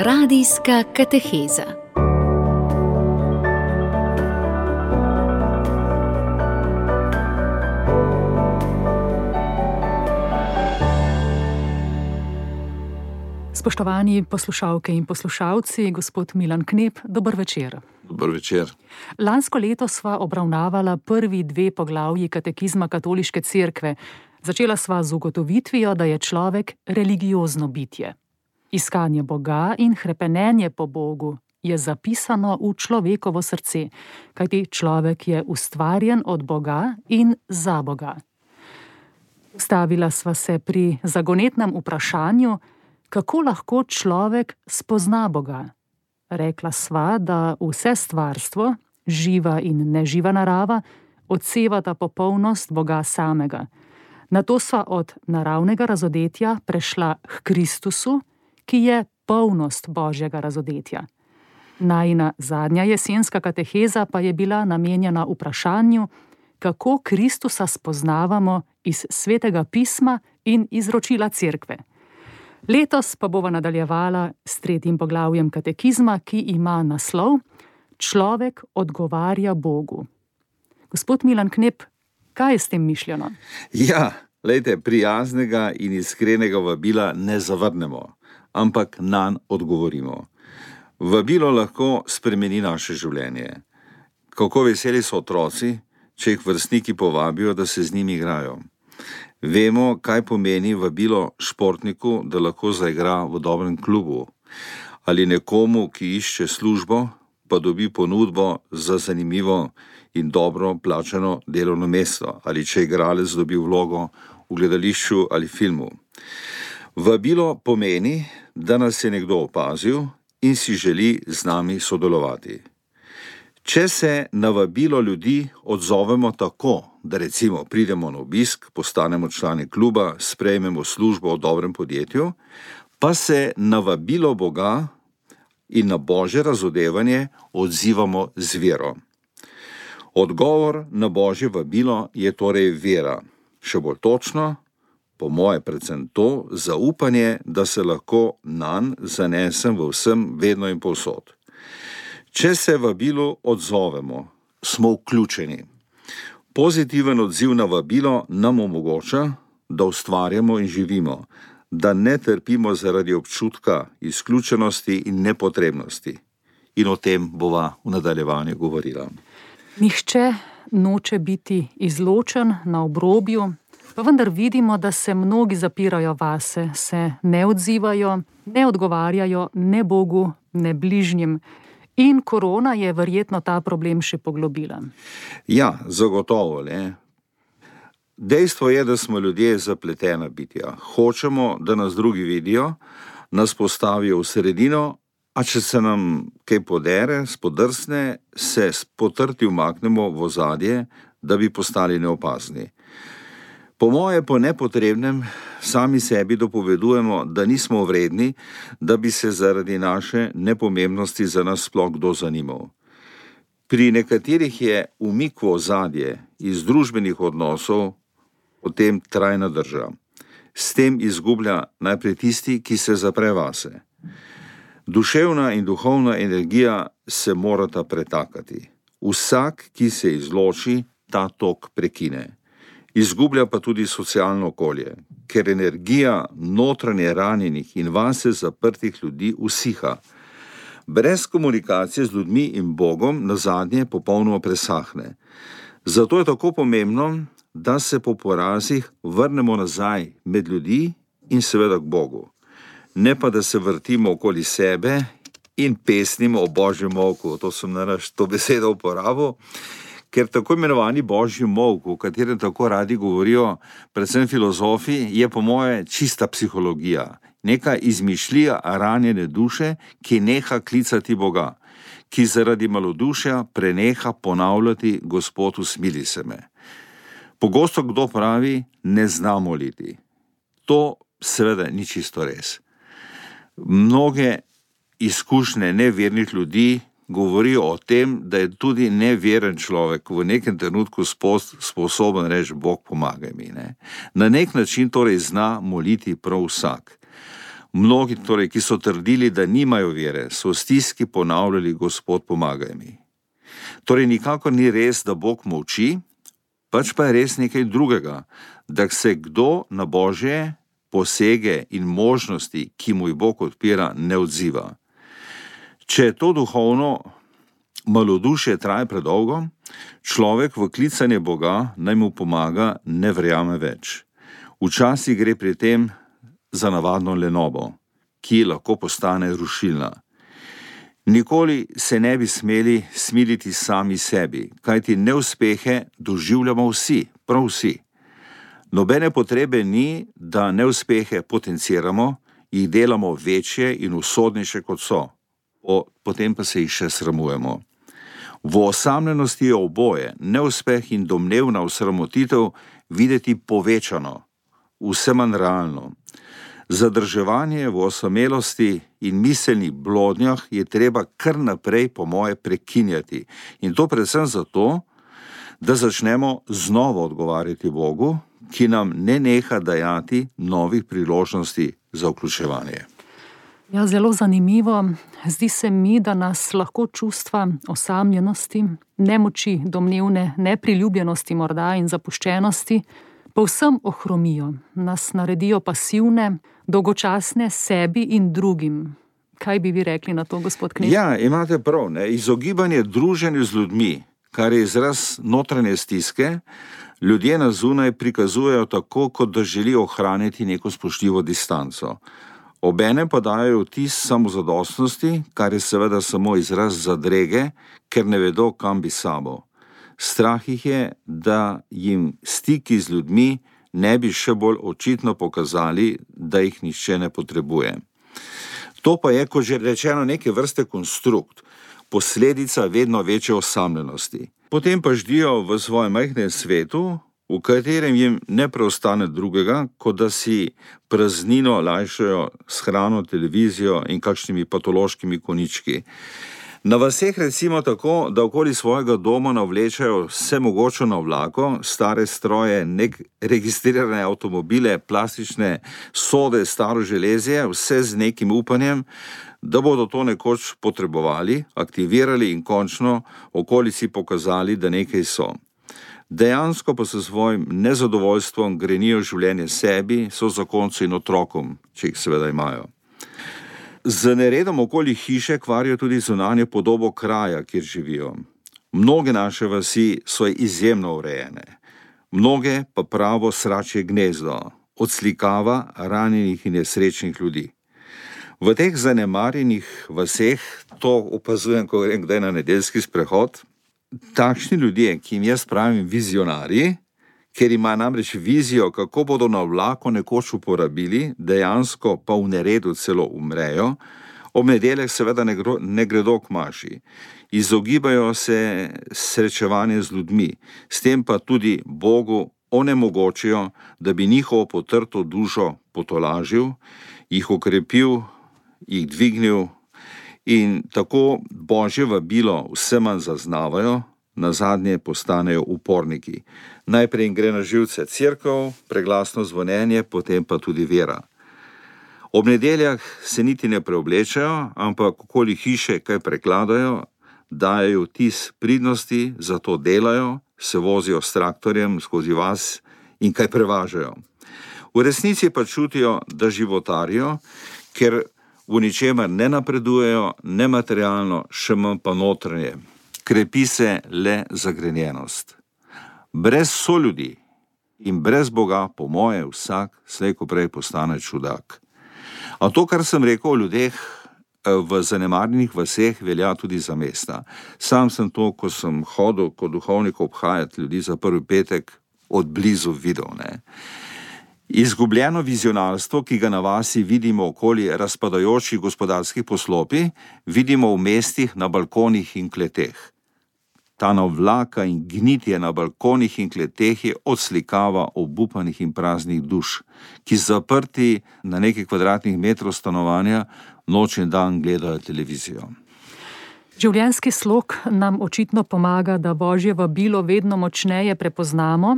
Radijska kateheza. Spoštovani poslušalke in poslušalci, gospod Milan Knep, dober večer. Dober večer. Lansko leto sva obravnavala prvi 2 poglavji katekizma Katoliške cerkve. Začela sva z ugotovitvijo, da je človek religiozno bitje. Iskanje Boga in hrepenenje po Bogu je zapisano v človekovo srce, kajti človek je ustvarjen od Boga in za Boga. Ustavila sva se pri zagonetnem vprašanju, kako lahko človek spozna Boga. Rekla sva, da vse stvarstvo, živa in neživa narava, odsevata popolnost Boga samega. Nato sva od naravnega razodetja prešla k Kristusu, ki je polnost Božjega razodetja. Najina zadnja jesenska kateheza pa je bila namenjena vprašanju, kako Kristusa spoznavamo iz Svetega pisma in izročila cerkve. Letos pa bova nadaljevala s 3. poglavjem katekizma, ki ima naslov Človek odgovarja Bogu. Gospod Milan Knep, kaj je s tem mišljeno? Ja, glejte, prijaznega in iskrenega vabila ne zavrnemo, ampak nanj odgovorimo. Vabilo lahko spremeni naše življenje. Kako veseli so otroci, če jih vrstniki povabijo, da se z njimi igrajo. Vemo, kaj pomeni vabilo športniku, da lahko zaigra v dobrem klubu, ali nekomu, ki išče službo, pa dobi ponudbo za zanimivo in dobro plačano delovno mesto, ali če igralec dobi vlogo v gledališču ali filmu. Vabilo pomeni, da nas je nekdo opazil in si želi z nami sodelovati. Če se na vabilo ljudi odzovemo tako, da recimo pridemo na obisk, postanemo člani kluba, sprejmemo službo v dobrem podjetju, pa se na vabilo Boga in na Božje razodevanje odzivamo z vero. Odgovor na Božje vabilo je torej vera. Še bolj točno, po moje predvsem to, zaupanje, da se lahko nanj zanesem v vsem, vedno in povsod. Če se vabilu odzovemo, smo vključeni. Pozitiven odziv na vabilo nam omogoča, da ustvarjamo in živimo, da ne trpimo zaradi občutka izključenosti in nepotrebnosti. In o tem bova v nadaljevanju govorila. Nihče noče biti izločen na obrobju, pa vendar vidimo, da se mnogi zapirajo vase, se ne odzivajo, ne odgovarjajo ne Bogu, ne bližnjim. In korona je verjetno ta problem še poglobila. Ja, zagotovo, ne. Dejstvo je, da smo ljudje zapletena bitja. Hočemo, da nas drugi vidijo, nas postavijo v sredino, a če se nam kaj podere, spodrsne, se potrti umaknemo v ozadje, da bi postali neopazni. Po moje po nepotrebnem sami sebi dopovedujemo, da nismo vredni, da bi se zaradi naše nepomembnosti za nas sploh kdo zanimal. Pri nekaterih je umik v ozadje iz družbenih odnosov potem trajna drža. S tem izgublja najprej tisti, ki se zapre vase. Duševna in duhovna energija se morata pretakati. Vsak, ki se izloči, ta tok prekine. Izgublja pa tudi socialno okolje, ker energija notranje ranjenih in vase zaprtih ljudi usiha. Brez komunikacije z ljudmi in Bogom nazadnje popolnoma presahne. Zato je tako pomembno, da se po porazih vrnemo nazaj med ljudi in seveda k Bogu. Ne pa, da se vrtimo okoli sebe in pesnimo o Božjem molku. To sem to besedo uporabil. Ker tako imenovani Božji molk, o katerem tako radi govorijo, predvsem filozofi, je po moje čista psihologija. Neka izmišljija ranjene duše, ki neha klicati Boga, ki zaradi malodušja preneha ponavljati Gospod usmili se me. Pogosto kdo pravi, ne zna moliti. To seveda ni čisto res. Mnoge izkušnje nevernih ljudi govorijo o tem, da je tudi neveren človek v nekem trenutku sposoben reči, Bog pomagaj mi. Ne? Na nek način torej zna moliti prav vsak. Mnogi, torej, ki so trdili, da nimajo vere, so v stiski ponavljali: Gospod, pomagaj mi. Torej, nikakor ni res, da Bog molči, pač pa je res nekaj drugega, da se kdo na Božje posege in možnosti, ki mu jih Bog odpira, ne odziva. Če to duhovno malodušje traja predolgo, človek v klicanje Boga naj mu pomaga ne verjame več. Včasih gre pri tem za navadno lenobo, ki lahko postane rušilna. Nikoli se ne bi smeli smiliti sami sebi, kajti neuspehe doživljamo vsi, prav vsi. Nobene potrebe ni, da neuspehe potenciramo, jih delamo večje in usodnejše, kot so, potem pa se jih še sramujemo. V osamljenosti je oboje, neuspeh in domnevna osramotitev, videti povečano, vse manj realno. Zadrževanje v osamelosti in miselnih blodnjah je treba kar naprej, po moje, prekinjati. In to predvsem zato, da začnemo znova odgovarjati Bogu, ki nam ne neha dajati novih priložnosti za vključevanje. Ja, zelo zanimivo. Zdi se mi, da nas lahko čustva osamljenosti, nemoči, domnevne nepriljubljenosti morda in zapuščenosti povsem ohromijo, nas naredijo pasivne, dolgočasne sebi in drugim. Kaj bi vi rekli na to, gospod Knez? Ja, imate prav, ne? Izogibanje druženju z ljudmi, kar je izraz notranje stiske, ljudje na zunaj prikazujejo tako, kot da želijo ohraniti neko spoštljivo distanco. Obenem pa dajo vtis samozadostnosti, kar je seveda samo izraz zadrege, ker ne vedo, kam bi sabo. Strah jih je, da jim stiki z ljudmi ne bi še bolj očitno pokazali, da jih nihče ne potrebuje. To pa je, kot že rečeno, neke vrste konstrukt, posledica vedno večje osamljenosti. Potem pa ždijo v svojem majhnem svetu, v katerem jim ne preostane drugega, kot da si praznino lajšajo s hrano, televizijo in kakšnimi patološkimi konički. Na vaseh recimo tako, da okoli svojega doma navlečajo vse mogoče navlako, stare stroje, registrirane avtomobile, plastične sode, staro železje, vse z nekim upanjem, da bodo to nekoč potrebovali, aktivirali in končno okolici pokazali, da nekaj so. Dejansko pa se svojim nezadovoljstvom grenijo življenje sebi, sozakoncu in otrokom, če jih seveda imajo. Z neredom okoli hiše kvarijo tudi zunanjo podobo kraja, kjer živijo. Mnoge naše vasi so izjemno urejene, mnoge pa pravo sračje gnezdo, odslikava ranjenih in nesrečnih ljudi. V teh zanemarjenih vaseh, to opazujem, ko grem kdaj na nedeljski sprehod, takšni ljudje, ki jim jaz pravim vizionarji, ker ima namreč vizijo, kako bodo na vlaku nekoč uporabili, dejansko pa v neredu celo umrejo, ob nedeljah seveda ne gredo k maši. Izogibajo se srečevanje z ljudmi, s tem pa tudi Bogu onemogočijo, da bi njihovo potrto dušo potolažil, jih okrepil, jih dvignil in tako Božje vabilo vse manj zaznavajo, nazadnje postanejo uporniki. Najprej jim gre na živce cerkev, preglasno zvonjenje, potem pa tudi vera. Ob nedeljah se niti ne preoblečajo, ampak okoli hiše kaj prekladajo, dajejo vtis pridnosti, zato delajo, se vozijo s traktorjem skozi vas in kaj prevažajo. V resnici pa čutijo, da životarijo, ker v ničemer ne napredujejo, ne materialno, še manj pa notranje. Krepi se le zagrenjenost. Brez soljudi in brez Boga, po moje, vsak slej ko prej postane čudak. A to, kar sem rekel o ljudeh v zanemarjenih vaseh, velja tudi za mesta. Sam sem to, ko sem hodil kot duhovnik obhajati ljudi za prvi petek, od blizu videl. Izgubljeno vizionarstvo, ki ga na vasi vidimo okoli razpadajočih gospodarskih poslopij, vidimo v mestih na balkonih in kleteh. Ta navlaka in gnitje na balkonih in kleteh je odslikava obupanih in praznih duš, ki zaprti na nekaj kvadratnih metrov stanovanja noč in dan gledajo televizijo. Življenjski slog nam očitno pomaga, da Božje vabilo vedno močneje prepoznamo,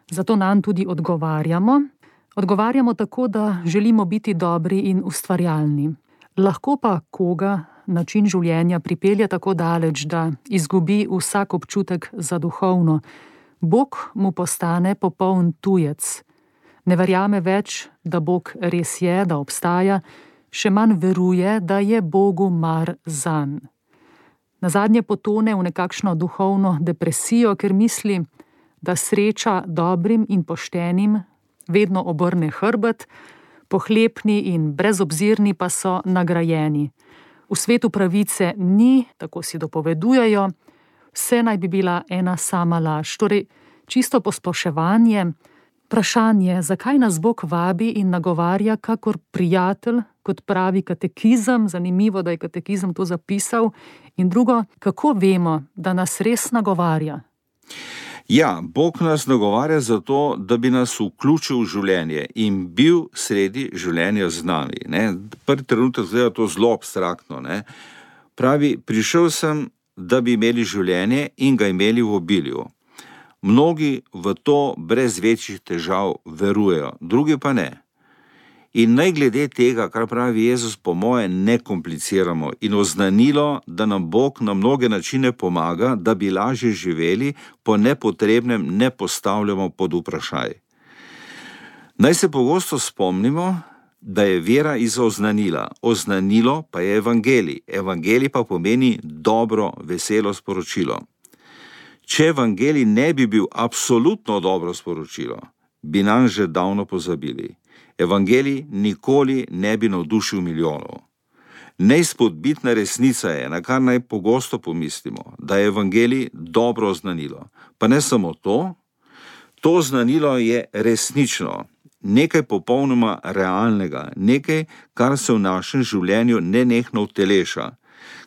zato nanj tudi odgovarjamo. Odgovarjamo tako, da želimo biti dobri in ustvarjalni. Lahko pa koga način življenja pripelje tako daleč, da izgubi vsak občutek za duhovno. Bog mu postane popoln tujec. Ne verjame več, da Bog res je, da obstaja, še manj veruje, da je Bogu mar zanj. Nazadnje potone v nekakšno duhovno depresijo, ker misli, da sreča dobrim in poštenim vedno obrne hrbet, pohlepni in brezobzirni pa so nagrajeni. V svetu pravice ni, tako si dopovedujejo, vse naj bi bila ena sama laž. Torej, čisto posploševanje, vprašanje, zakaj nas Bog vabi in nagovarja kakor prijatelj, kot pravi katekizem, zanimivo, da je katekizem to zapisal, in drugo, kako vemo, da nas res nagovarja? Ja, Bog nas nagovarja zato, da bi nas vključil v življenje in bil sredi življenja z nami. Prvi trenutek zgleda to zelo abstraktno. Pravi, prišel sem, da bi imeli življenje in ga imeli v obilju. Mnogi v to brez večjih težav verujejo, drugi pa ne. In naj glede tega, kar pravi Jezus, po moje ne kompliciramo in oznanilo, da nam Bog na mnoge načine pomaga, da bi lažje živeli, po nepotrebnem ne postavljamo pod vprašaj. Naj se pogosto spomnimo, da je vera iz oznanila. Oznanilo pa je evangelij. Evangelij pa pomeni dobro, veselo sporočilo. Če evangelij ne bi bil absolutno dobro sporočilo, bi nam že davno pozabili. Evangelij nikoli ne bi navdušil milijonov. Neizpodbitna resnica je, na kar naj pogosto pomislimo, da je evangelij dobro oznanilo. Pa ne samo to, to oznanilo je resnično, nekaj popolnoma realnega, nekaj, kar se v našem življenju nenehno uteleša,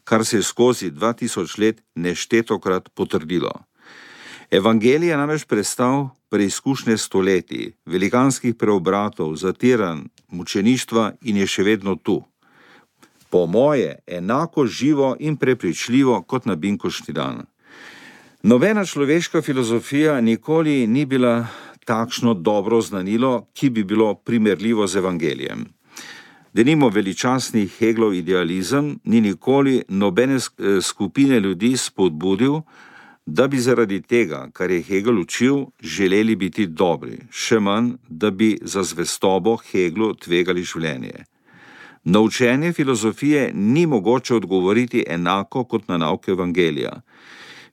kar se je skozi 2000 let neštetokrat potrdilo. Evangelij je namreč prestal preizkušnje stoletij, velikanskih preobratov, zatiranj, mučeništva in je še vedno tu. Po moje enako živo in prepričljivo kot na binkoštni dan. Nobena človeška filozofija nikoli ni bila takšno dobro oznanilo, ki bi bilo primerljivo z evangelijem. Denimo veličastni Hegelov idealizem ni nikoli nobene skupine ljudi spodbudil, da bi zaradi tega, kar je Hegel učil, želeli biti dobri, še manj, da bi za zvestobo Heglu tvegali življenje. Na učenje filozofije ni mogoče odgovoriti enako kot na nauke evangelija.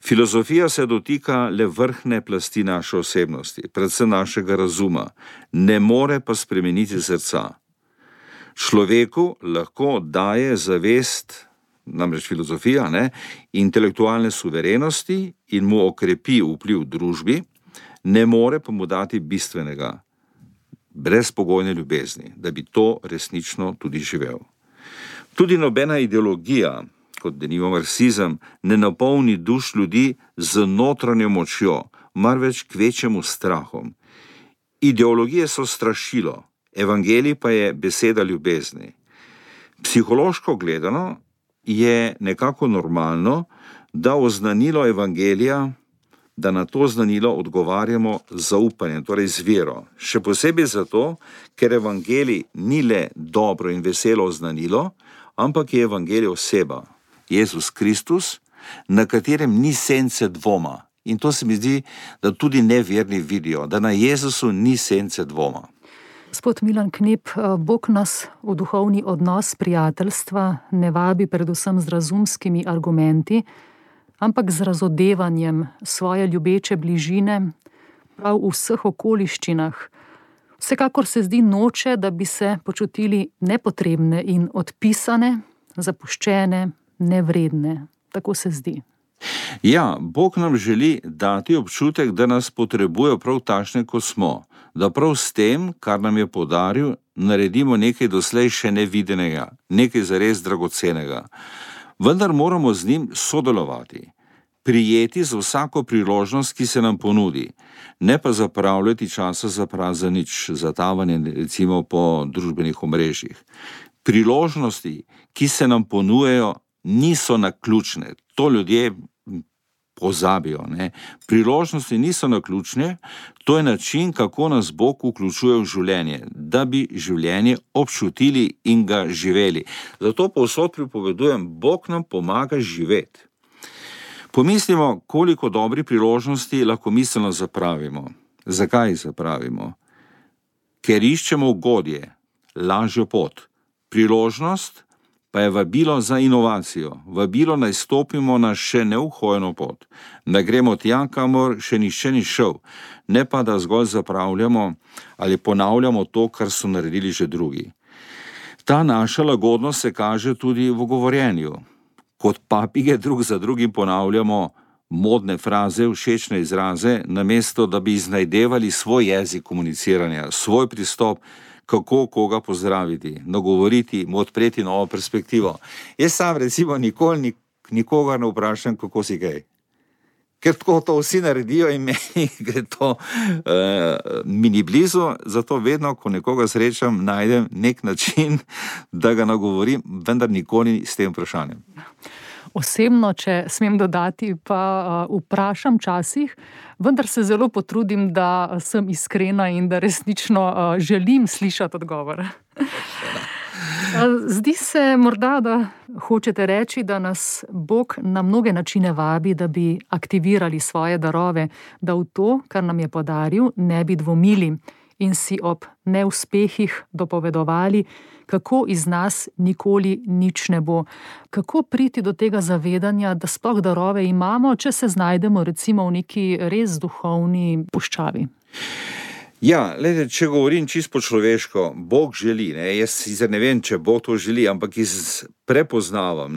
Filozofija se dotika le vrhne plasti naše osebnosti, predvsem našega razuma, ne more pa spremeniti srca. Človeku lahko daje zavest, namreč filozofija, intelektualne suverenosti in mu okrepi vpliv v družbi, ne more pa mu dati bistvenega, brezpogojne ljubezni, da bi to resnično tudi živel. Tudi nobena ideologija, kot denimo marksizem, ne napolni duš ljudi z notranjo močjo, marveč kvečjemu strahom. Ideologije so strašilo, evangelij pa je beseda ljubezni. Psihološko gledano je nekako normalno, da oznanilo evangelija, da na to oznanilo odgovarjamo z zaupanjem, torej z vero. Še posebej zato, ker evangelij ni le dobro in veselo oznanilo, ampak je evangelij oseba, Jezus Kristus, na katerem ni sence dvoma. In to se mi zdi, da tudi neverni vidijo, da na Jezusu ni sence dvoma. Gospod Milan Knep, Bog nas v duhovni odnos prijateljstva ne vabi predvsem z razumskimi argumenti, ampak z razodevanjem svoje ljubeče bližine prav v vseh okoliščinah. Vsekakor se zdi noče, da bi se počutili nepotrebne in odpisane, zapuščene, nevredne. Tako se zdi. Ja, Bog nam želi dati občutek, da nas potrebuje prav takšne, kot smo, da prav s tem, kar nam je podaril, naredimo nekaj doslej še nevidenega, nekaj zares dragocenega. Vendar moramo z njim sodelovati, prijeti z vsako priložnost, ki se nam ponudi, ne pa zapravljati časa za prazen nič, za tavanje recimo po družbenih omrežjih. Priložnosti, ki se nam ponujejo, niso naključne. To ljudje pozabijo. Ne? Priložnosti niso naključne, to je način, kako nas Bog vključuje v življenje, da bi življenje občutili in ga živeli. Zato povsod pripovedujem, Bog nam pomaga živeti. Pomislimo, koliko dobrih priložnosti lahko miselno zapravimo. Zakaj zapravimo? Ker iščemo ugodje, lažjo pot. Priložnost pa je vabilo za inovacijo, vabilo naj stopimo na še neuhojeno pot, da gremo tja, kamor še nihče ni šel, ne pa da zgolj zapravljamo ali ponavljamo to, kar so naredili že drugi. Ta naša lagodnost se kaže tudi v govorjenju. Kot papige drug za drugim ponavljamo modne fraze, všečne izraze, namesto da bi iznajdevali svoj jezik komuniciranja, svoj pristop, kako koga pozdraviti, nagovoriti, mu odpreti novo perspektivo. Jaz sam recimo nikoli nikogar ne vprašam, kako si kaj. Ker tako to vsi naredijo in meni gre to mi ni blizu, zato vedno, ko nekoga srečam, najdem nek način, da ga nagovorim, vendar nikoli s tem vprašanjem. Osebno, če smem dodati, pa vprašam časih, vendar se zelo potrudim, da sem iskrena in da resnično želim slišati odgovor. Zdi se morda, da hočete reči, da nas Bog na mnoge načine vabi, da bi aktivirali svoje darove, da v to, kar nam je podaril, ne bi dvomili in si ob neuspehih dopovedovali, kako iz nas nikoli nič ne bo. Kako priti do tega zavedanja, da sploh darove imamo, če se znajdemo recimo v neki res duhovni puščavi? Ja, glede, če govorim čisto človeško, Bog želi, jaz sicer ne vem, če Bog to želi, ampak prepoznavam,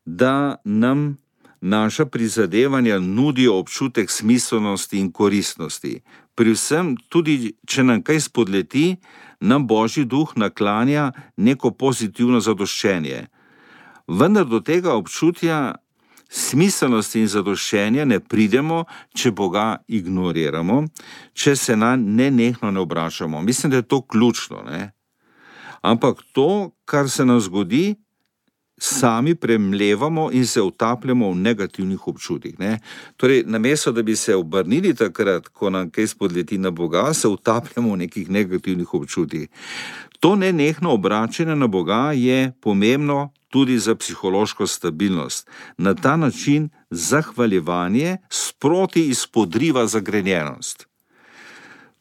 da nam naša prizadevanja nudijo občutek smiselnosti in koristnosti. Pri vsem, tudi če nam kaj spodleti, nam Božji duh naklanja neko pozitivno zadoščenje. Vendar do tega občutja smiselnosti in zadoščenja ne pridemo, če Boga ignoriramo, če se nanj nenehno ne obračamo. Mislim, da je to ključno. Ampak to, kar se nam zgodi, sami premlevamo in se utapljamo v negativnih občutih. Torej, namesto da bi se obrnili takrat, ko nam kaj spodleti na Boga, se utapljamo v nekih negativnih občutih. To nenehno obračanje na Boga je pomembno tudi za psihološko stabilnost. Na ta način zahvaljevanje sproti izpodriva zagrenjenost.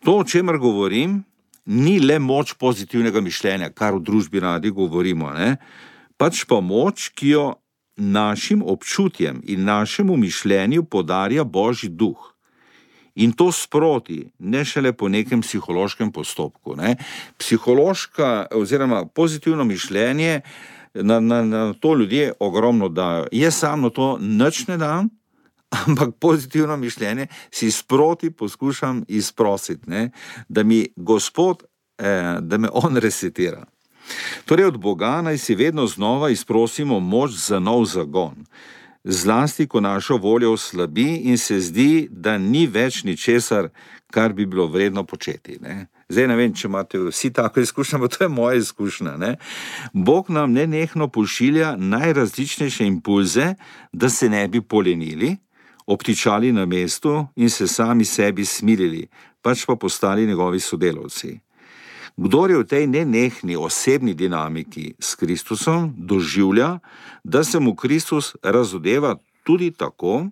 To, o čemer govorim, ni le moč pozitivnega mišljenja, kar v družbi radi govorimo, pač pa moč, ki jo našim občutjem in našemu mišljenju podarja Božji duh. In to sproti, ne šele po nekem psihološkem postopku. Psihološka oziroma pozitivno mišljenje, na to ljudje ogromno dajo. Jaz sam na to nič ne dam, ampak pozitivno mišljenje si sproti poskušam izprositi, da mi Gospod, da me On resetira. Torej od Boga naj si vedno znova izprosimo moč za nov zagon. Zlasti, ko naša volja oslabi in se zdi, da ni več ničesar, kar bi bilo vredno početi. Zdaj ne vem, če imate vsi tako izkušnjo, ampak to je moja izkušnja. Bog nam nenehno pošilja najrazličnejše impulze, da se ne bi polenili, obtičali na mestu in se sami sebi smilili, pač pa postali njegovi sodelavci. Kdor je v tej nenehni osebni dinamiki s Kristusom, doživlja, da se mu Kristus razodeva tudi tako,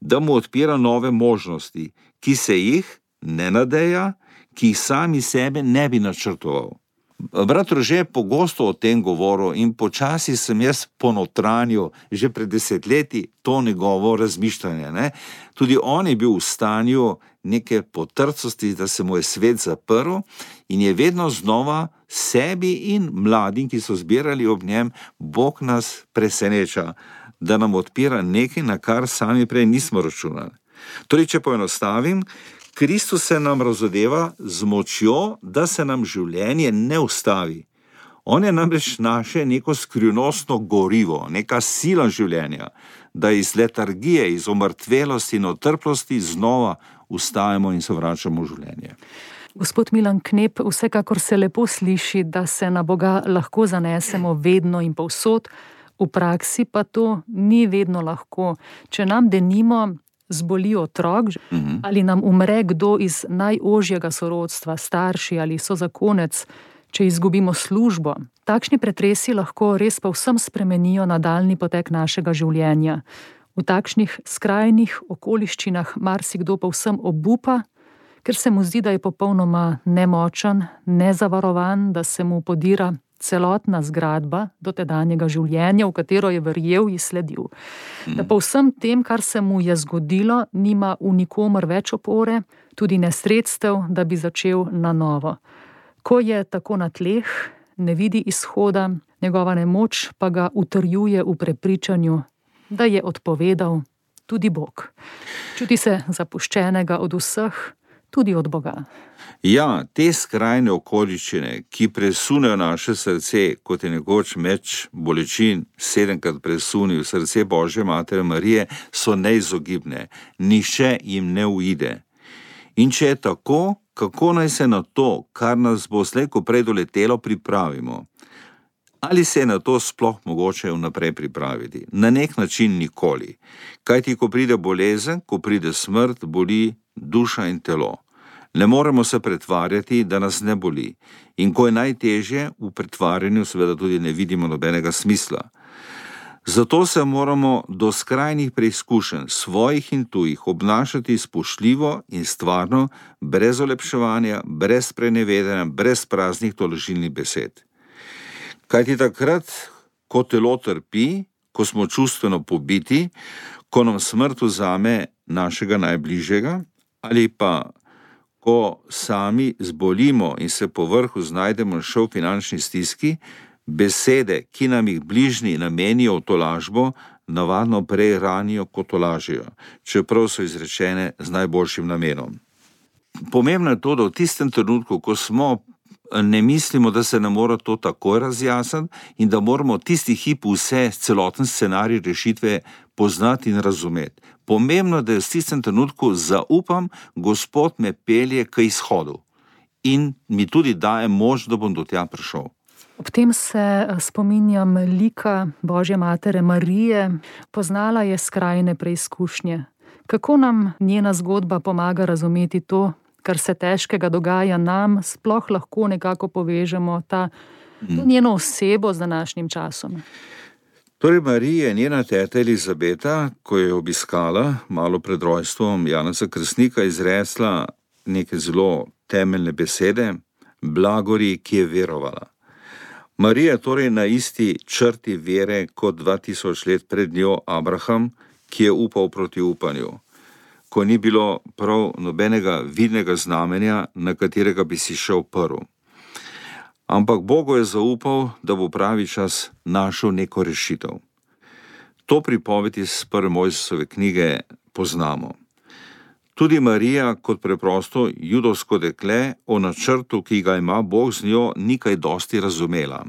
da mu odpira nove možnosti, ki se jih ne nadeja, ki jih sami sebe ne bi načrtoval. Brat Rože pogosto o tem govoril in počasi sem jaz ponotranil že pred desetletji to njegovo razmišljanje. Tudi on je bil v stanju neke potrcosti, da se mu je svet zaprl in je vedno znova sebi in mladim, ki so zbirali ob njem, Bog nas preseneča, da nam odpira nekaj, na kar sami prej nismo računali. Torej, če poenostavim, Kristus se nam razodeva z močjo, da se nam življenje ne ustavi. On je namreč naše neko skrivnostno gorivo, neka sila življenja, da iz letargije, iz omrtvelosti in otrplosti znova ustajamo in se vračamo v življenje. Gospod Milan Knep, vsekakor se lepo sliši, da se na Boga lahko zanesemo vedno in povsod, v praksi pa to ni vedno lahko. Če nam denimo zboli otrok, ali nam umre kdo iz najožjega sorodstva, starši ali sozakonec, če izgubimo službo. Takšni pretresi lahko res povsem spremenijo nadaljnji potek našega življenja. V takšnih skrajnih okoliščinah marsikdo povsem obupa, ker se mu zdi, da je popolnoma nemočen, nezavarovan, da se mu podira celotna zgradba dotedanjega življenja, v katero je verjel in sledil. Da po vsem tem, kar se mu je zgodilo, nima v nikomer več opore, tudi ne sredstev, da bi začel na novo. Ko je tako na tleh, ne vidi izhoda, njegova nemoč pa ga utrjuje v prepričanju, da je odpovedal tudi Bog. Čuti se zapuščenega od vseh, tudi od Boga. Ja, te skrajne okoliščine, ki presunejo naše srce, kot je nekoč meč bolečin 7krat presunil srce Božje Matere Marije, so neizogibne. Nihče jim ne uide. In če je tako, kako naj se na to, kar nas bo slej ko prej doletelo, pripravimo? Ali se je na to sploh mogoče vnaprej pripraviti? Na nek način nikoli. Kajti, ko pride bolezen, ko pride smrt, boli duša in telo. Ne moremo se pretvarjati, da nas ne boli. In ko je najtežje, v pretvarjanju seveda tudi ne vidimo nobenega smisla. Zato se moramo do skrajnih preizkušenj, svojih in tujih, obnašati spoštljivo in stvarno, brez olepševanja, brez sprenevedanja, brez praznih tolažilnih besed. Kajti takrat, ko telo trpi, ko smo čustveno pobiti, ko nam smrt vzame našega najbližjega, ali pa ko sami zbolimo in se po vrhu znajdemo še v finančni stiski, besede, ki nam jih bližnji namenijo v tolažbo, navadno prej ranijo, kot tolažijo, čeprav so izrečene z najboljšim namenom. Pomembno je to, da v tistem trenutku, ko smo, ne mislimo, da se ne mora to takoj razjasniti in da moramo tisti hip vse, celoten scenarij rešitve poznati in razumeti. Pomembno je, da v tistem trenutku zaupam, Gospod me pelje k izhodu in mi tudi daje moč, da bom do tja prišel. Ob tem se spominjam lika Božje Matere Marije. Poznala je skrajne preizkušnje. Kako nam njena zgodba pomaga razumeti to, kar se težkega dogaja nam, sploh lahko nekako povežemo to njeno osebo z današnjim časom? Torej, Marija, njena teta Elizabeta, ko je obiskala malo pred rojstvom Janeza Krstnika, izresla neke zelo temeljne besede, blagori, ki je verovala. Marija torej na isti črti vere kot 2000 let pred njo Abraham, ki je upal proti upanju, ko ni bilo prav nobenega vidnega znamenja, na katerega bi si šel prv. Ampak Bogu je zaupal, da bo pravi čas našel neko rešitev. To pripoved iz prve Mojzesove knjige poznamo. Tudi Marija kot preprosto judovsko dekle o načrtu, ki ga ima Bog z njo, ni kaj dosti razumela.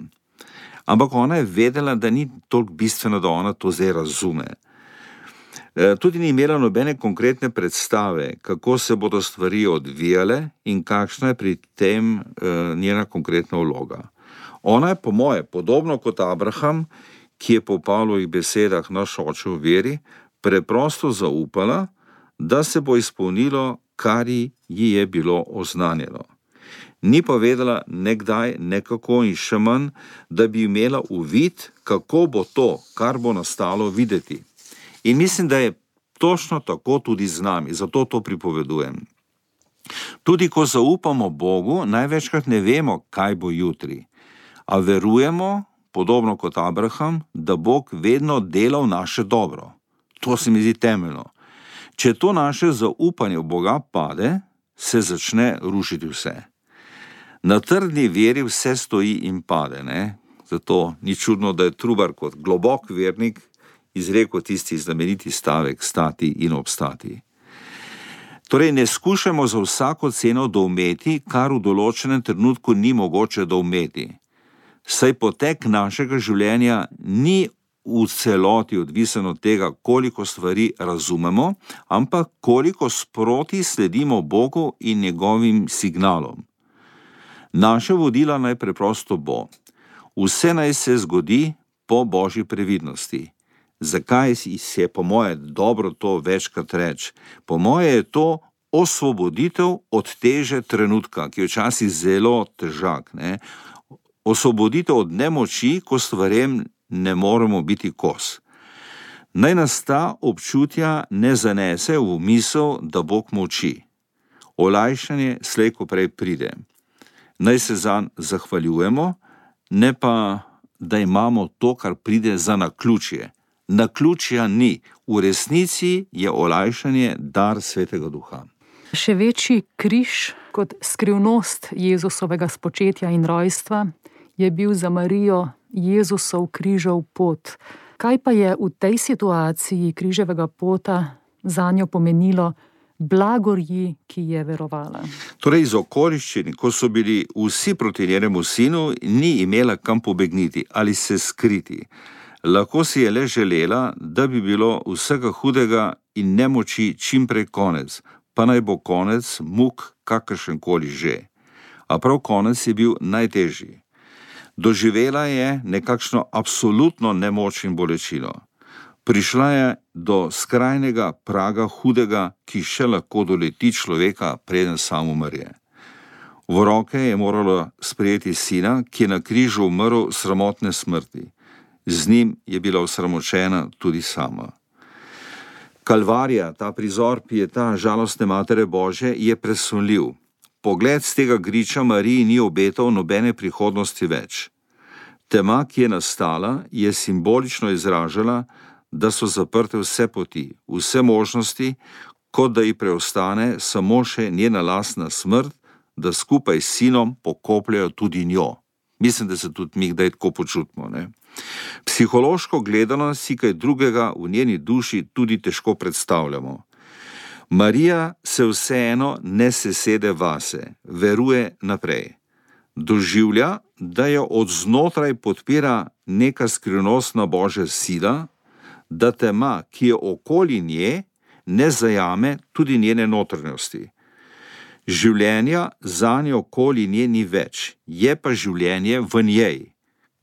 Ampak ona je vedela, da ni toliko bistveno, da ona to zdaj razume. Tudi ni imela nobene konkretne predstave, kako se bodo stvari odvijale in kakšna je pri tem njena konkretna vloga. Ona je, po moje, podobno kot Abraham, ki je po Pavlovih besedah naš oče v veri, preprosto zaupala, da se bo izpolnilo, kar ji je bilo oznanjeno. Ni pa vedela nekdaj, nekako in še manj, da bi imela uvid, kako bo to, kar bo nastalo, videti. In mislim, da je točno tako tudi z nami, zato to pripovedujem. Tudi ko zaupamo Bogu, največkrat ne vemo, kaj bo jutri. A verujemo, podobno kot Abraham, da Bog vedno dela v naše dobro. To se mi zdi temeljno. Če to naše zaupanje v Boga pade, se začne rušiti vse. Na trdni veri vse stoji in pade, ne? Zato ni čudno, da je Trubar kot globok vernik izrekel tisti znameniti stavek stati in obstati. Torej, ne skušamo za vsako ceno doumeti, kar v določenem trenutku ni mogoče doumeti. Saj potek našega življenja ni v celoti odvisen od tega, koliko stvari razumemo, ampak koliko sproti sledimo Bogu in njegovim signalom. Naše vodila naj preprosto bo. Vse naj se zgodi po Božji previdnosti. Zakaj je po moje dobro to večkrat reči? Po moje je to osvoboditev od teže trenutka, ki je včasih zelo težak. Ne? Osvoboditev od nemoči, ko stvarem ne moremo biti kos. Naj nas ta občutja ne zanese v misel, da Bog molči. Olajšanje slej ko prej pride. Naj se zanj zahvaljujemo, ne pa, da imamo to, kar pride za naključje. Naključja ni. V resnici je olajšanje dar Svetega Duha. Še večji križ kot skrivnost Jezusovega spočetja in rojstva je bil za Marijo Jezusov križev pot. Kaj pa je v tej situaciji križevega pota zanjo pomenilo blagorji, ki je verovala? Torej iz okoliščin, ko so bili vsi proti njenemu sinu, ni imela kam pobegniti ali se skriti. Lahko si je le želela, da bi bilo vsega hudega in nemoči čim prej konec, pa naj bo konec muk kakršenkoli že. A prav konec je bil najtežji. Doživela je nekakšno absolutno nemoč in bolečino. Prišla je do skrajnega praga hudega, ki še lahko doleti človeka, preden sam umre. V roke je morala sprejeti sina, ki je na križu umrl sramotne smrti. Z njim je bila osramočena tudi sama. Kalvarija, ta prizor pieta žalostne Matere Božje, je presunljiv. Pogled z tega griča Mariji ni obetal nobene prihodnosti več. Tema, ki je nastala, je simbolično izražala, da so zaprte vse poti, vse možnosti, kot da ji preostane samo še njena lastna smrt, da skupaj s sinom pokopljajo tudi njo. Mislim, da se tudi mi kdaj tako počutimo, ne? Psihološko gledano si kaj drugega v njeni duši tudi težko predstavljamo. Marija se vseeno ne sesede vase, veruje naprej. Doživlja, da jo od znotraj podpira neka skrivnostna Božja sila, da tema, ki je okoli nje, ne zajame tudi njene notranjosti. Življenja zanje okoli nje ni več, je pa življenje v njej,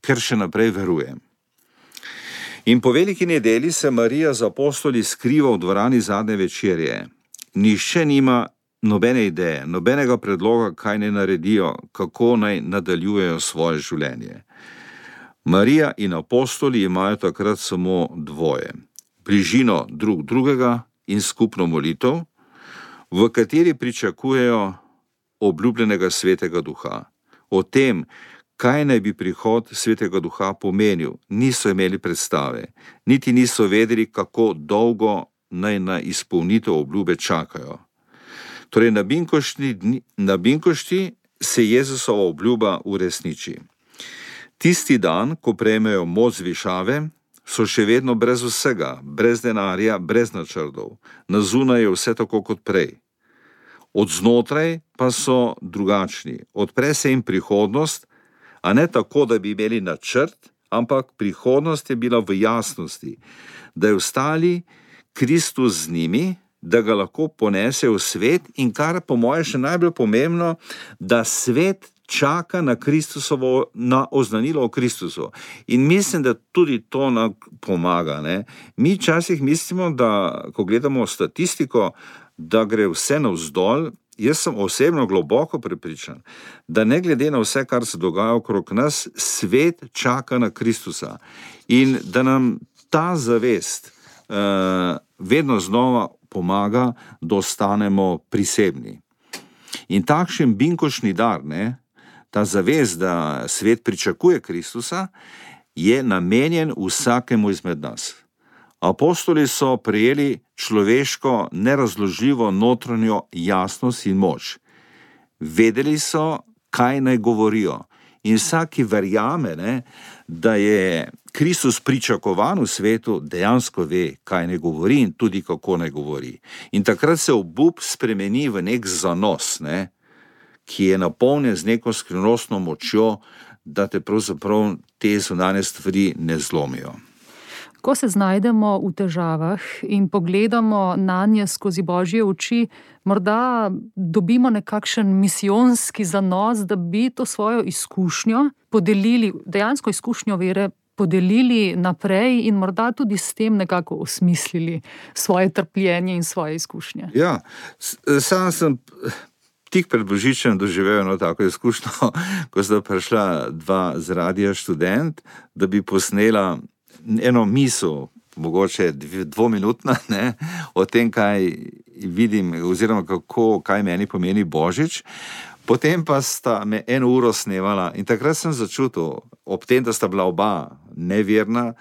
ker še naprej veruje. In po veliki nedelji se Marija z apostoli skriva v dvorani zadnje večerje. Nihče nima nobene ideje, nobenega predloga, kaj naj naredijo, kako naj nadaljujejo svoje življenje. Marija in apostoli imajo takrat samo dvoje: bližino drug drugega in skupno molitev, v kateri pričakujejo obljubljenega Svetega Duha. O tem, kaj naj bi prihod Svetega Duha pomenil, niso imeli predstave, niti niso vedeli, kako dolgo naj na izpolnitev obljube čakajo. Torej na binkošti se Jezusova obljuba uresniči. Tisti dan, ko prejmejo moč zvišave, so še vedno brez vsega, brez denarja, brez načrtov. Na zunaj je vse tako kot prej. Od znotraj pa so drugačni. Odpre se jim prihodnost, a ne tako, da bi imeli načrt, ampak prihodnost je bila v jasnosti, da je ostali Kristus z njimi, da ga lahko ponese v svet in, kar po moje še najbolj pomembno, da svet čaka na Kristusovo, na oznanilo o Kristusu. In mislim, da tudi to nam pomaga, ne? Mi včasih mislimo, da ko gledamo statistiko, da gre vse navzdol. Jaz sem osebno globoko prepričan, da ne glede na vse, kar se dogaja okrog nas, svet čaka na Kristusa in da nam ta zavest vedno znova pomaga, da ostanemo prisebni. In takšen binkošni dar, ne, ta zavest, da svet pričakuje Kristusa, je namenjen vsakemu izmed nas. Apostoli so prejeli človeško, nerazložljivo notranjo jasnost in moč. Vedeli so, kaj naj govorijo. In vsak, ki verjame, ne, da je Kristus pričakovan v svetu, dejansko ve, kaj naj govori in tudi kako naj govori. In takrat se obup spremeni v nek zanos, ne, ki je napolnjen z neko skrivnostno močjo, da te pravzaprav te zunanje stvari ne zlomijo. Ko se znajdemo v težavah in pogledamo nanje skozi Božje oči, morda dobimo nekakšen misijonski zanos, da bi to svojo izkušnjo podelili, dejansko izkušnjo vere, podelili naprej in morda tudi s tem nekako osmislili svoje trpljenje in svoje izkušnje. Ja, sam sem tik pred Božičem doživel eno tako izkušnjo, ko sta prišla dva z radia Študent, da bi posnela eno misel, mogoče dvominutna, ne, o tem, kaj vidim, oziroma kaj meni pomeni Božič. Potem pa sta me 1 uro snevala in takrat sem začutil, ob tem, da sta bila oba neverna,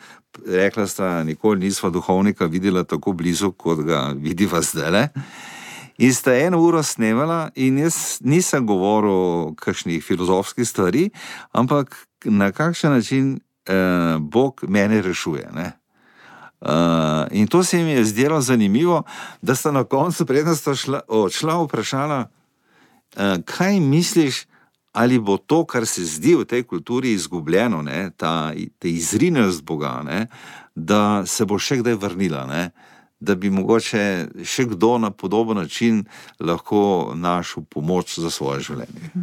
rekla sta, nikoli nisva duhovnika videla tako blizu, kot ga vidiva zdajle. In sta 1 uro snevala in jaz nisem govoril kakšnih filozofskih stvari, ampak na kakšen način Bog mene rešuje, ne. In to se mi je zdelo zanimivo, da sta na koncu, preden sta odšla, vprašala, kaj misliš, ali bo to, kar se zdi v tej kulturi izgubljeno, ne, ta izrinjenost Boga, ne, da se bo še kdaj vrnila, ne, da bi mogoče še kdo na podoben način lahko našel pomoč za svoje življenje.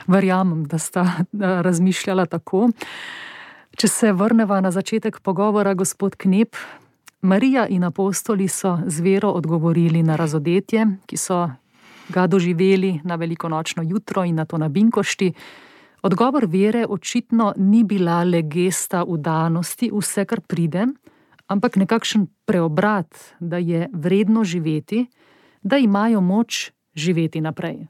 Verjamem, da sta razmišljala tako. Če se vrneva na začetek pogovora, gospod Knep, Marija in apostoli so z vero odgovorili na razodetje, ki so ga doživeli na velikonočno jutro in nato na Binkošti. Odgovor vere očitno ni bila le gesta vdanosti vse, kar pride, ampak nekakšen preobrat, da je vredno živeti, da imajo moč živeti naprej.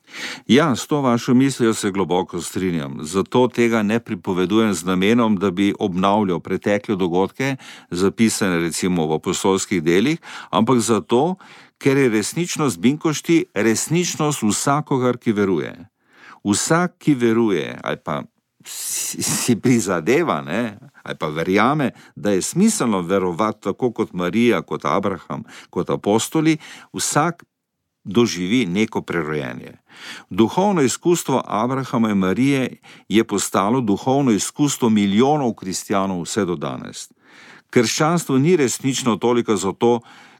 Ja, s to vašo mislijo se globoko strinjam. Zato tega ne pripovedujem z namenom, da bi obnavljal pretekle dogodke, zapisane recimo v apostolskih delih, ampak zato, ker je resničnost Binkošti resničnost vsakogar, ki veruje. Vsak, ki veruje, ali pa si prizadeva, ne, ali pa verjame, da je smiselno verovati tako kot Marija, kot Abraham, kot apostoli, vsak doživi neko prerojenje. Duhovno izkustvo Abrahama in Marije je postalo duhovno izkustvo milijonov kristjanov vse do danes. Krščanstvo ni resnično toliko zato,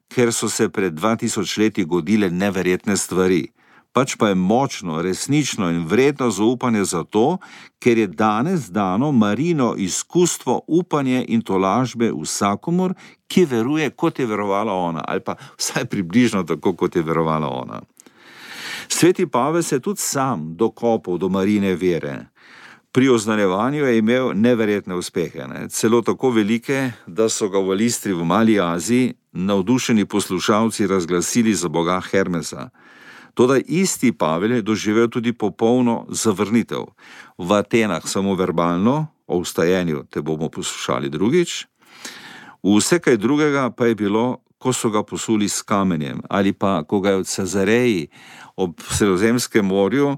ker so se pred 2000 leti godile neverjetne stvari, pač pa je močno, resnično in vredno zaupanje zato, ker je danes dano Marino izkustvo, upanje in tolažbe vsakomur, ki veruje, kot je verovala ona, ali pa vsaj približno tako, kot je verovala ona. Sveti Pavel se je tudi sam dokopal do Marine vere. Pri oznanjevanju je imel neverjetne uspehe, ne? Celo tako velike, da so ga v Listri v Mali Aziji navdušeni poslušalci razglasili za boga Hermesa. Toda isti Pavel je doživel tudi popolno zavrnitev. V Atenah samo verbalno, o vstajenju te bomo poslušali drugič, vse kaj drugega pa je bilo, ko so ga posuli s kamenjem, ali pa ko ga je v Cezareji ob Sredozemskem morju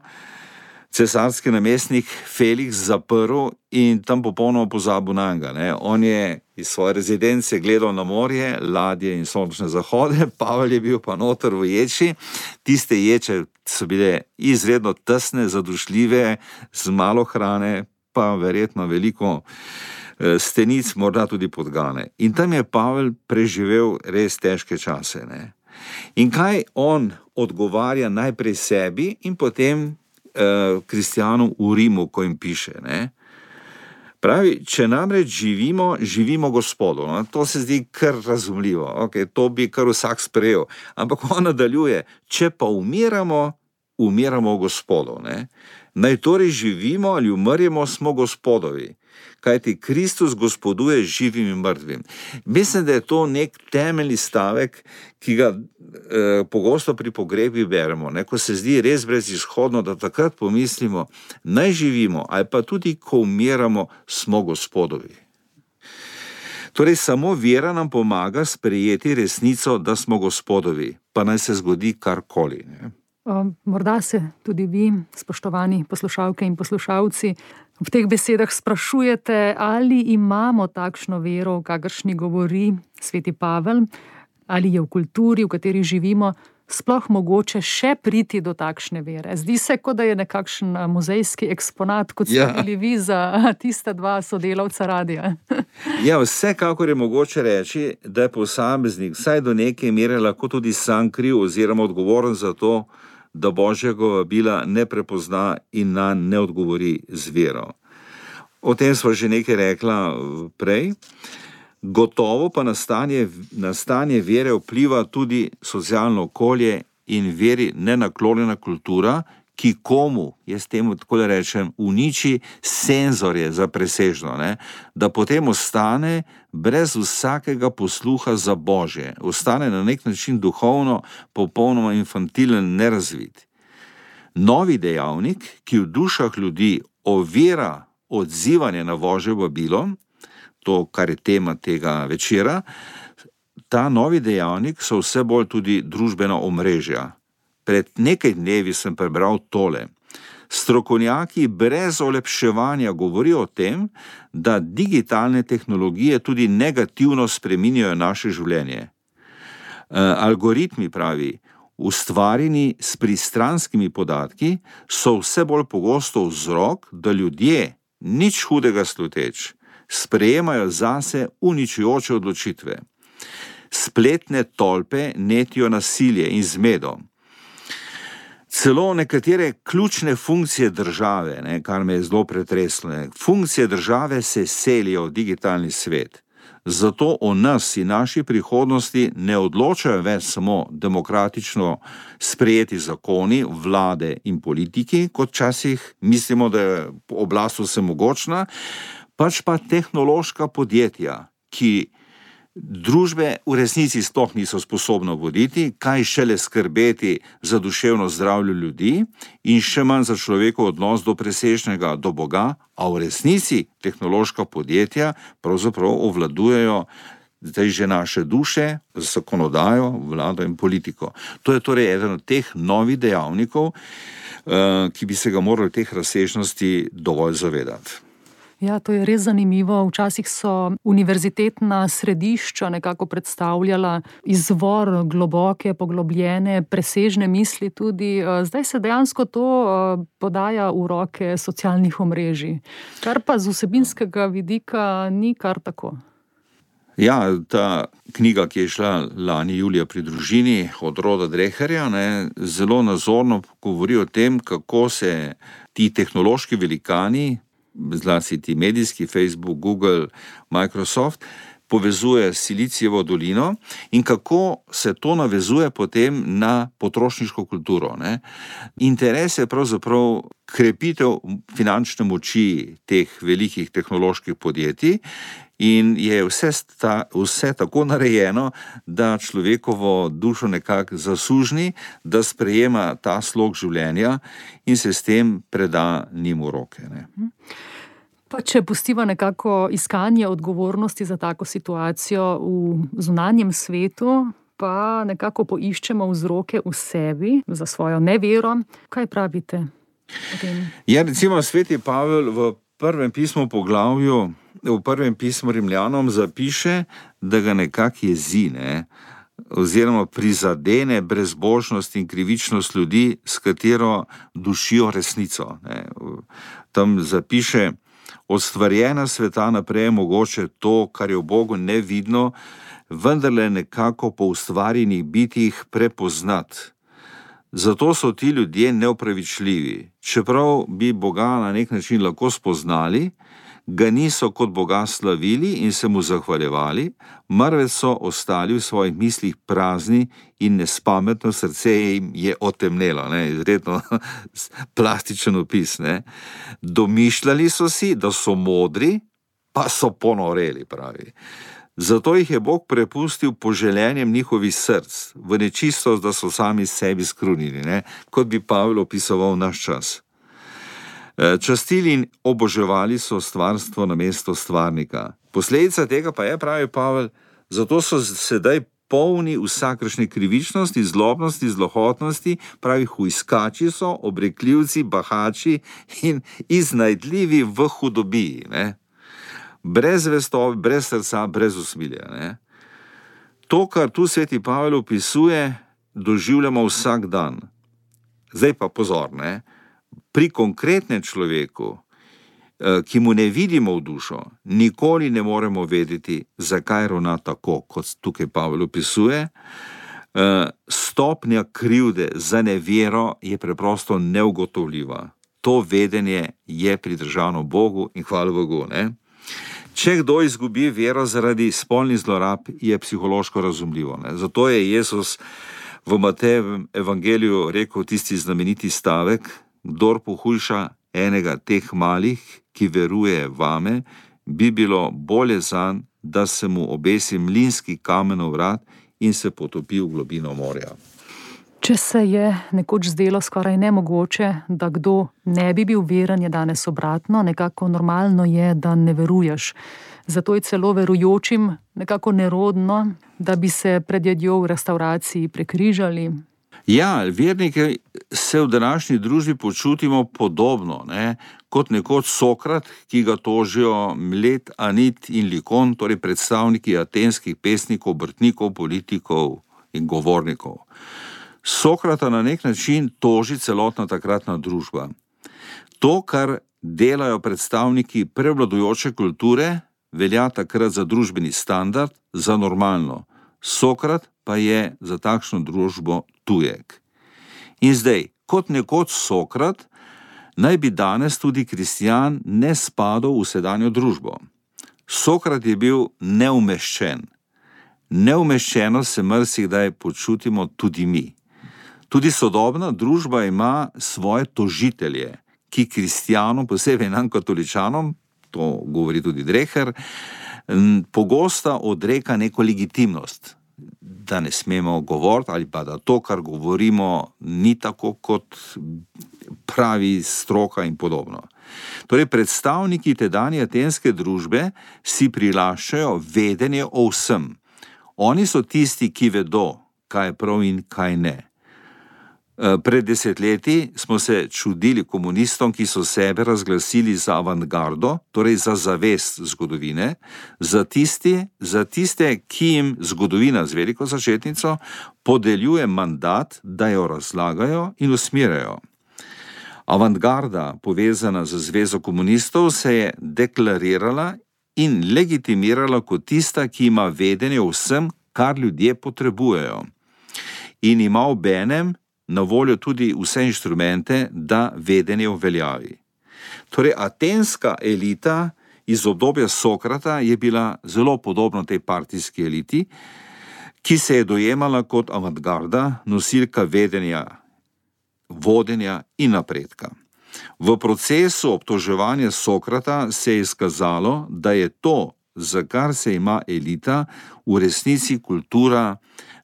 cesarski namestnik Felix zaprl in tam popolnoma pozabil na njega, ne. On je iz svoje rezidence gledal na morje, ladje in sončne zahode, Pavel je bil pa noter v ječi. Tiste ječe so bile izredno tesne, zadušljive, z malo hrane, pa verjetno veliko stenic, morda tudi podgane. In tam je Pavel preživel res težke čase, ne. In kaj on odgovarja najprej sebi in potem kristjanom v Rimu, ko jim piše, ne? Pravi, če namreč živimo Gospodu. No? To se zdi kar razumljivo, okay, to bi kar vsak sprejel. Ampak on nadaljuje, če pa umiramo v Gospodu. Ne? Naj torej živimo ali umrjemo, smo Gospodovi. Kajti Kristus gospoduje živim in mrtvim. Mislim, da je to nek temeljni stavek, ki ga pogosto pri pogrebih beremo. Ne? Ko se zdi res brezizhodno, da takrat pomislimo, naj živimo, ali pa tudi, ko umiramo, smo Gospodovi. Torej, samo vera nam pomaga sprejeti resnico, da smo Gospodovi, pa naj se zgodi karkoli. Ne? Morda se tudi vi, spoštovani poslušalke in poslušalci, v teh besedah sprašujete, ali imamo takšno vero, o kakršni govori sveti Pavel, ali je v kulturi, v kateri živimo, sploh mogoče še priti do takšne vere. Zdi se, kot da je nekakšen muzejski eksponat, kot ste bili vi za tista dva sodelavca radia. Ja, vsekakor je mogoče reči, da je posameznik vsaj do neke mere lahko tudi sam kriv oziroma odgovoren za to, da Božjega vabila ne prepozna in nanj ne odgovori z vero. O tem smo že nekaj rekla prej. Gotovo pa na stanje vere vpliva tudi socialno okolje in veri nenaklonjena kultura, ki komu, jaz temu tako rečem, uniči senzorje za presežno, ne? Da potem ostane brez vsakega posluha za Božje, ostane na nek način duhovno popolnoma infantilen, nerazvit. Novi dejavnik, ki v dušah ljudi ovira odzivanje na Božje vabilo, to, kar je tema tega večera, ta novi dejavnik so vse bolj tudi družbena omrežja. Pred nekaj dnevi sem prebral tole. Strokovnjaki brez olepševanja govorijo o tem, da digitalne tehnologije tudi negativno spreminjajo naše življenje. Algoritmi, pravi, ustvarjeni s pristranskimi podatki, so vse bolj pogosto vzrok, da ljudje, nič hudega sluteč, sprejemajo zase uničujoče odločitve. Spletne tolpe netijo nasilje in zmedo. Celo nekatere ključne funkcije države, kar me je zelo pretreslo, funkcije države se selijo v digitalni svet. Zato o nas in naši prihodnosti ne odločajo več samo demokratično sprejeti zakoni, vlade in politiki, kot včasih mislimo, da je oblast vsemogočna, pač pa tehnološka podjetja, ki družbe v resnici sploh niso sposobna voditi, kaj šele skrbeti za duševno zdravje ljudi in še manj za človekov odnos do presežnega, do Boga, a v resnici tehnološka podjetja pravzaprav ovladujejo zdaj že naše duše, zakonodajo, vlado in politiko. To je torej eden od teh novih dejavnikov, ki bi se ga morali teh razsežnosti dovolj zavedati. Ja, to je res zanimivo. Včasih so univerzitetna središča nekako predstavljala izvor globoke, poglobljene, presežne misli tudi. Zdaj se dejansko to podaja v roke socialnih omrežij, kar pa z vsebinskega vidika ni kar tako. Ja, ta knjiga, ki je šla lani julija pri družini od Roda Dreherja, zelo nazorno govori o tem, kako se ti tehnološki velikani, zlasti ti medijski, Facebook, Google, Microsoft, povezuje Silicijevo dolino in kako se to navezuje potem na potrošniško kulturo. Interes je pravzaprav krepitev finančne moči teh velikih tehnoloških podjetij in je vse tako narejeno, da človekovo dušo nekako zasužni, da sprejema ta slog življenja in se s tem preda njim v roke. Pa če pustiva nekako iskanje odgovornosti za tako situacijo v zunanjem svetu, pa nekako poiščemo vzroke v sebi za svojo nevero, kaj pravite o tem? Ja, recimo sveti Pavel v prvem pismu poglavju, v prvem pismu Rimljanom zapiše, da ga nekako jezi, oziroma prizadene brezbožnost in krivičnost ljudi, s katero dušijo resnico. Tam zapiše: od stvarjena sveta naprej je mogoče to, kar je v Bogu nevidno, vendarle nekako po ustvarjenih bitjih prepoznati. Zato so ti ljudje neopravičljivi. Čeprav bi Boga na nek način lahko spoznali, ga niso kot Boga slavili in se mu zahvaljevali, marveč so ostali v svojih mislih prazni in nespametno srce jim je otemnelo. Izredno plastičen opis. Domišljali so si, da so modri, pa so ponoreli, pravi. Zato jih je Bog prepustil poželjenjem njihovih src, v nečistost, da so sami sebi skrunili, kot bi Pavel opisoval naš čas. Častili in oboževali so stvarstvo namesto stvarnika. Posledica tega pa je, pravi Pavel, zato so sedaj polni vsakršne krivičnosti, zlobnosti, zlohotnosti, pravi hujskači so, obrekljivci, bahači in iznajdljivi v hudobiji. Brez vestobe, brez srca, brez usmilja. To, kar tu sveti Pavel opisuje, doživljamo vsak dan. Zdaj pa pozor, pri konkretnem človeku, ki mu ne vidimo v dušo, nikoli ne moremo vedeti, zakaj ravna tako, kot tukaj Pavel opisuje. Stopnja krivde za nevero je preprosto neugotovljiva. to vedenje je pridržano Bogu in hvala Bogu. Ne? Če kdo izgubi vero zaradi spolnih zlorab, je psihološko razumljivo. Ne? Zato je Jezus v Matejevem evangeliju rekel tisti znameniti stavek: kdor pohujša enega teh malih, ki veruje vame, bi bilo bolje zanj, da se mu obesi mlinski kamen v vrat in se potopi v globino morja. Če se je nekoč zdelo skoraj nemogoče, da kdo ne bi bil veren, je danes obratno, nekako normalno je, da ne veruješ. Zato je celo verujočim nekako nerodno, da bi se pred jedjo v restavraciji prekrižali. Ja, verniki se v današnji družbi počutimo podobno, ne? Kot nekoč Sokrat, ki ga tožijo Mlet, Anit in Likon, torej predstavniki atenskih pesnikov, obrtnikov, politikov in govornikov. Sokrata na nek način toži celotna takratna družba. To, kar delajo predstavniki prevladujoče kulture, velja takrat za družbeni standard, za normalno. Sokrat pa je za takšno družbo tujek. In zdaj, kot nekoč Sokrat, naj bi danes tudi kristjan ne spadal v sedanjo družbo. Sokrat je bil neumeščen. Neumeščeno se marsikdaj počutimo tudi mi. Tudi sodobna družba ima svoje tožitelje, ki kristjanom, posebej nam katoličanom, to govori tudi Dreher, pogosto odreka neko legitimnost, da ne smemo govoriti ali pa da to, kar govorimo, ni tako, kot pravi stroka in podobno. Torej, predstavniki tedanje atenske družbe si prilaščajo vedenje o vsem. Oni so tisti, ki vedo, kaj je prav in kaj ne. Pred desetletji smo se čudili komunistom, ki so sebe razglasili za avantgardo, torej za zavest zgodovine, za tiste, ki jim zgodovina z veliko začetnico podeljuje mandat, da jo razlagajo in usmerjajo. Avantgarda, povezana z Zvezo komunistov, se je deklarirala in legitimirala kot tista, ki ima vedenje o vsem, kar ljudje potrebujejo. In ima obenem na voljo tudi vse inštrumente, da vedenje uveljavi. Torej, atenska elita iz obdobja Sokrata je bila zelo podobna tej partijski eliti, ki se je dojemala kot avantgarda, nosilka vedenja, vodenja in napredka. V procesu obtoževanja Sokrata se je izkazalo, da je to, za kar se ima elita, v resnici kultura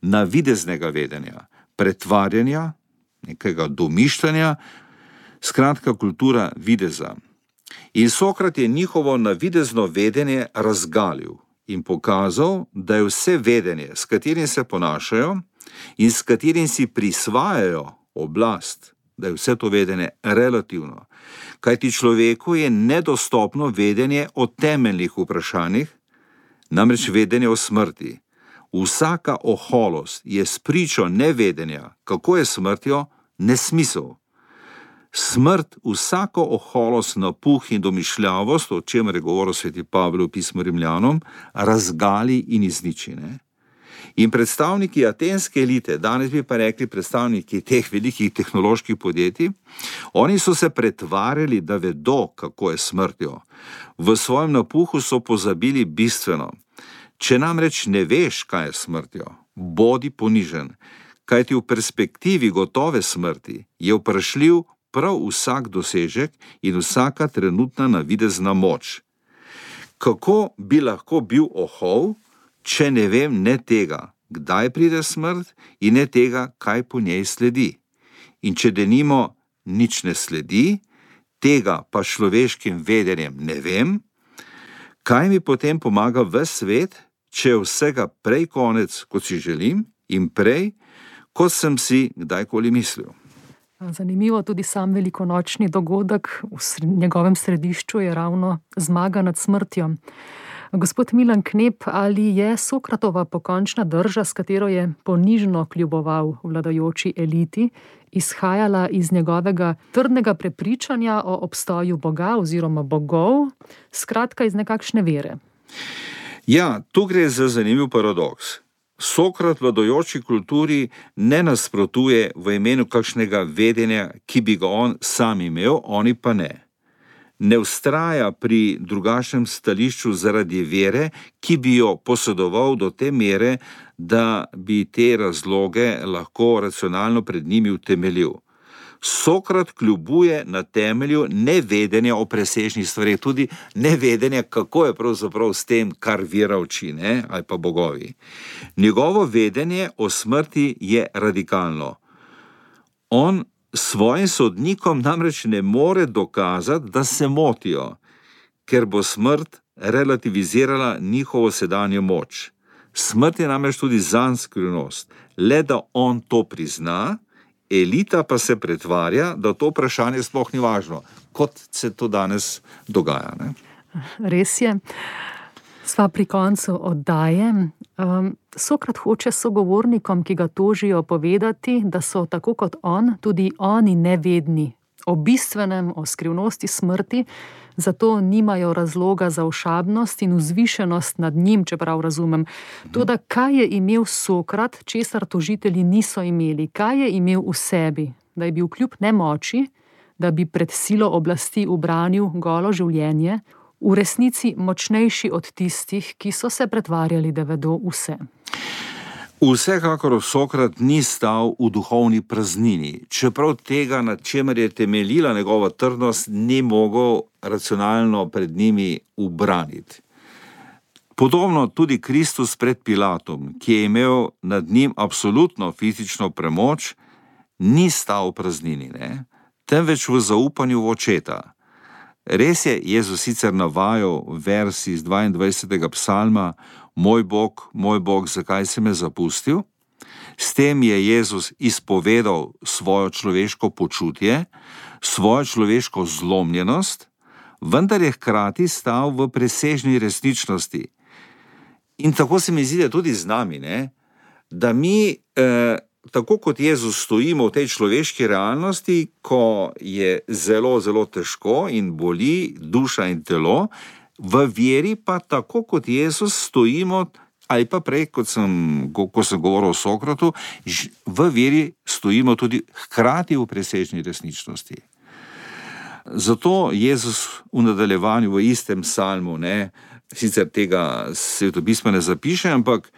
navideznega vedenja, pretvarjanja, nekega domišljanja, skratka kultura videza. In Sokrat je njihovo navidezno vedenje razgalil in pokazal, da je vse vedenje, s katerim se ponašajo in s katerim si prisvajajo oblast, da je vse to vedenje relativno. Kajti človeku je nedostopno vedenje o temeljnih vprašanjih, namreč vedenje o smrti. Vsaka oholost je spričo nevedenja, kako je smrtjo, nesmisel. Smrt vsako oholost, napuh in domišljavost, o čemer je govoril sveti Pavel v pismu Rimljanom, razgali in izniči. Ne? In predstavniki atenske elite, danes bi pa rekli predstavniki teh velikih tehnoloških podjetij, oni so se pretvarjali, da vedo, kako je smrtjo. V svojem napuhu so pozabili bistveno. Če namreč ne veš, kaj je smrtjo, bodi ponižen, kajti v perspektivi gotove smrti je vprašljiv prav vsak dosežek in vsaka trenutna navidezna moč. Kako bi lahko bil ohol, če ne vem ne tega, kdaj pride smrt, in ne tega, kaj po njej sledi? In če denimo nič ne sledi, tega pa človeškim vedenjem ne vem, kaj mi potem pomaga ves svet, če je vsega prej konec, kot si želim, in prej, kot sem si kdajkoli mislil. Zanimivo, tudi sam velikonočni dogodek v njegovem središču je ravno zmaga nad smrtjo. Gospod Milan Knep, ali je Sokratova pokončna drža, s katero je ponižno kljuboval vladajoči eliti, izhajala iz njegovega trdnega prepričanja o obstoju Boga oziroma bogov, skratka iz nekakšne vere? Ja, tu gre za zanimiv paradoks. Sokrat vladajoči kulturi ne nasprotuje v imenu kakšnega vedenja, ki bi ga on sam imel, oni pa ne. Ne vztraja pri drugačnem stališču zaradi vere, ki bi jo posedoval do te mere, da bi te razloge lahko racionalno pred njimi utemeljil. Sokrat kljubuje na temelju nevedenja o presežnih stvareh, tudi nevedenja, kako je pravzaprav s tem, kar vera uči, ali pa bogovi. Njegovo vedenje o smrti je radikalno. On svojim sodnikom namreč ne more dokazati, da se motijo, ker bo smrt relativizirala njihovo sedanjo moč. Smrt je namreč tudi zanj skrivnost, le da on to prizna, elita pa se pretvarja, da to vprašanje sploh ni važno, kot se to danes dogaja. Ne? Res je. Sva pri koncu oddaje. Sokrat hoče sogovornikom, ki ga tožijo, povedati, da so tako kot on, tudi oni nevedni o bistvenem, o skrivnosti smrti, zato nimajo razloga za ošabnost in vzvišenost nad njim, čeprav razumem. Toda kaj je imel Sokrat, česar tožitelji niso imeli? Kaj je imel v sebi, da je bil kljub nemoči, da bi pred silo oblasti ubranil golo življenje, v resnici močnejši od tistih, ki so se pretvarjali, da vedo vse? Vsekakor Sokrat ni stal v duhovni praznini, čeprav tega, nad čemer je temeljila njegova trdnost, ni mogel racionalno pred njimi ubraniti. Podobno tudi Kristus pred Pilatom, ki je imel nad njim absolutno fizično premoč, ni stal v praznini, temveč v zaupanju v Očeta. Res je, Jezus sicer navajal vers iz 22. psalma: Moj Bog, zakaj si me zapustil? S tem je Jezus izpovedal svojo človeško počutje, svojo človeško zlomljenost, vendar je hkrati stal v presežni resničnosti. In tako se mi zdi, da tudi z nami, da mi, tako kot Jezus, stojimo v tej človeški realnosti, ko je zelo, zelo težko in boli duša in telo, v veri pa tako kot Jezus stojimo, ali pa prej, ko sem govoril o Sokratu, v veri stojimo tudi hkrati v presežni resničnosti. Zato Jezus v nadaljevanju v istem psalmu, sicer tega Svetopisma ne zapiše, ampak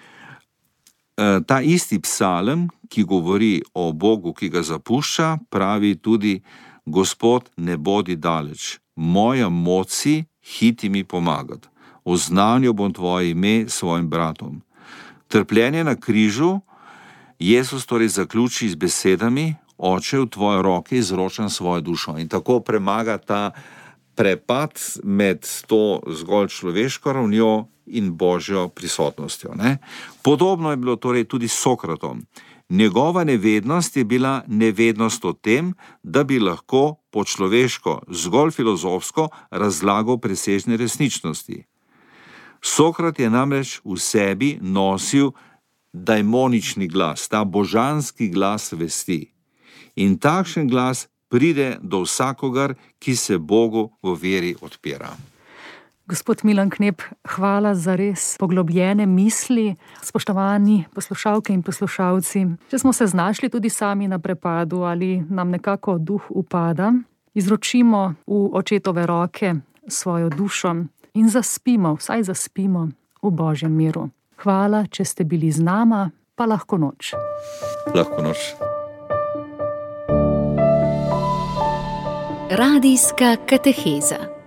ta isti psalem, ki govori o Bogu, ki ga zapušča, pravi tudi: Gospod, ne bodi daleč, moja moci, hiti mi pomagati, oznanil bom tvoje ime svojim bratom. Trpljenje na križu Jezus torej zaključi z besedami: Oče, v tvoje roke izročam svojo dušo. In tako premaga ta prepad med to zgolj človeško ravnjo in Božjo prisotnostjo. Podobno je bilo torej tudi s Sokratom. Njegova nevednost je bila nevednost o tem, da bi lahko po človeško, zgolj filozofsko razlagal presežne resničnosti. Sokrat je namreč v sebi nosil daimonični glas, ta božanski glas vesti. In takšen glas pride do vsakogar, ki se Bogu v veri odpira. Gospod Milan Knep, hvala za res poglobljene misli. Spoštovani poslušalke in poslušalci, če smo se znašli tudi sami na prepadu ali nam nekako duh upada, izročimo v Očetove roke svojo dušo in zaspimo, vsaj zaspimo v Božjem miru. Hvala, če ste bili z nama, pa lahko noč. Lahko noč. Radijska kateheza.